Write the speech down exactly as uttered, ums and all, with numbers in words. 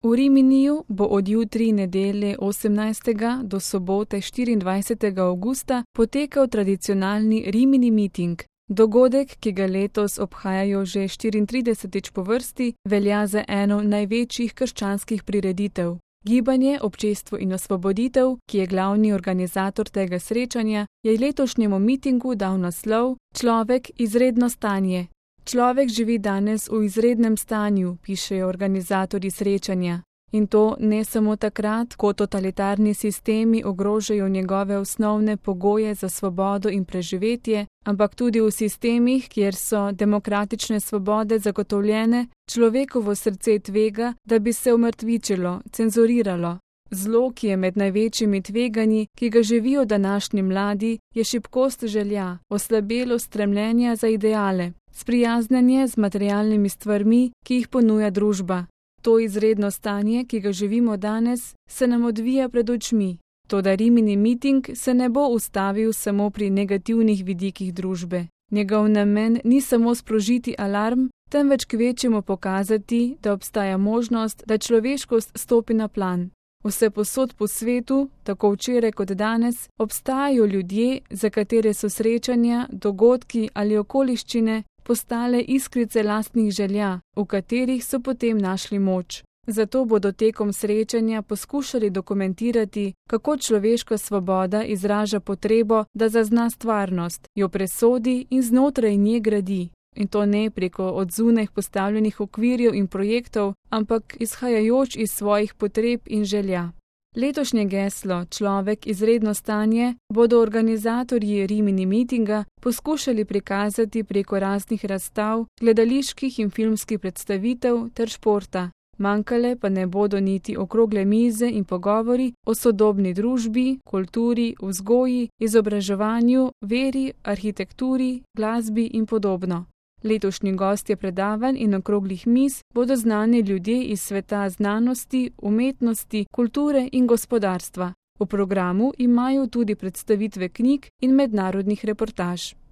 V Riminiju bo od jutri nedelje osemnajstega do sobote štiriindvajsetega avgusta potekal tradicionalni Rimini miting. Dogodek, ki ga letos obhajajo že štiriintridesetič po vrsti, velja za eno največjih krščanskih prireditev. Gibanje Občestvo in osvoboditev, ki je glavni organizator tega srečanja, je letošnjemu mitingu dal naslov Človek izredno stanje. Človek živi danes v izrednem stanju, pišejo organizatorji srečanja. In to ne samo takrat, ko totalitarni sistemi ogrožajo njegove osnovne pogoje za svobodo in preživetje, ampak tudi v sistemih, kjer so demokratične svobode zagotovljene, človekovo srce tvega, da bi se umrtvičilo, cenzuriralo. Zlo, ki je med največjimi tveganji, ki ga živijo današnji mladi, je šibkost želja, oslabelo stremljenja za ideale, sprijaznjenje z materialnimi stvarmi, ki jih ponuja družba. To izredno stanje, ki ga živimo danes, se nam odvija pred očmi. Toda Rimini miting se ne bo ustavil samo pri negativnih vidikih družbe. Njegov namen ni samo sprožiti alarm, temveč kvečjemu pokazati, da obstaja možnost, da človeškost stopi na plan. Vsepovsod po svetu, tako včeraj kot danes, obstajajo ljudje, za katere so srečanja, dogodki ali okoliščine postale iskrice lastnih želja, v katerih so potem našli moč. Zato bodo tekom srečanja poskušali dokumentirati, kako človeška svoboda izraža potrebo, da zazna stvarnost, jo presodi in znotraj nje gradi. In to ne preko od zunaj postavljenih okvirjev in projektov, ampak izhajajoč iz svojih potreb in želja. Letošnje geslo Človek izredno stanje bodo organizatorji Rimini mitinga poskušali prikazati preko raznih razstav, gledaliških in filmskih predstavitev ter športa. Manjkale pa ne bodo niti okrogle mize in pogovori o sodobni družbi, kulturi, vzgoji, izobraževanju, veri, arhitekturi, glasbi in podobno. Letošnji gostje predavanj in okroglih miz bodo znani ljudje iz sveta znanosti, umetnosti, kulture in gospodarstva. V programu imajo tudi predstavitve knjig in mednarodnih reportaž.